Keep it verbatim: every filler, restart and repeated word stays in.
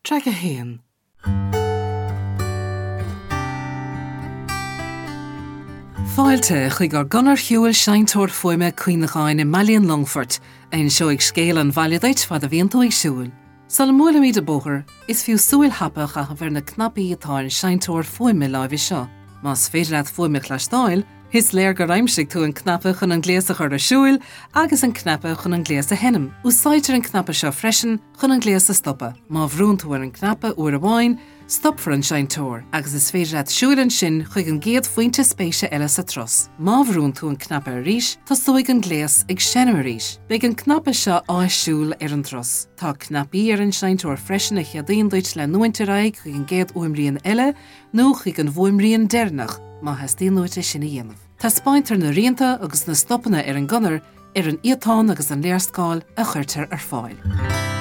Traic a haon. Fáilte chuig ár gconair shiúil seinnteoir fuaime cuimhneacháin i mBaile an Longfoirt, a inseoidh scéal an bhaile duit fad a bhíonn tú ag siúl. Sula mbuailimid an bóthar, is fiú súil thapa a chaitheamh ar na cnaipí atá ar an seinnteoir fuaime láimhe seo. Más féidir leat fuaim a chloisteáil, is léir gur aimsigh tú an cnaipe chun an gléas a chur ar siúl agus an cnaipe chun an gléas a sheinm. Úsáidtear an cnaipe seo freisin chun an gléas a stopadh. Má bhrúnn tú ar an cnaipe uair amháin, stopfar an seinnteoir, agus is féidir leat siúl ansin chuig an gcéad phointe spéise eile sa turas. Má bhrúnn tú an cnaipe arís, tosóidh an gléas ag seinm arís. Beidh an cnaipe seo áisiúil ar an turas. Tá cnaipí ar an seinnteoir freisin a cheadaíonn duit leanúint ar aghaidh chuig an gcéad fhuaimrian eile nó chuig an bhfuaimrian deireanach má theastaíonn uait é sin a dhéanamh. Taispeántar na rianta agus na stopanna ar an gconair ar an iatán agus an léarscáil a chuirtear ar fáil.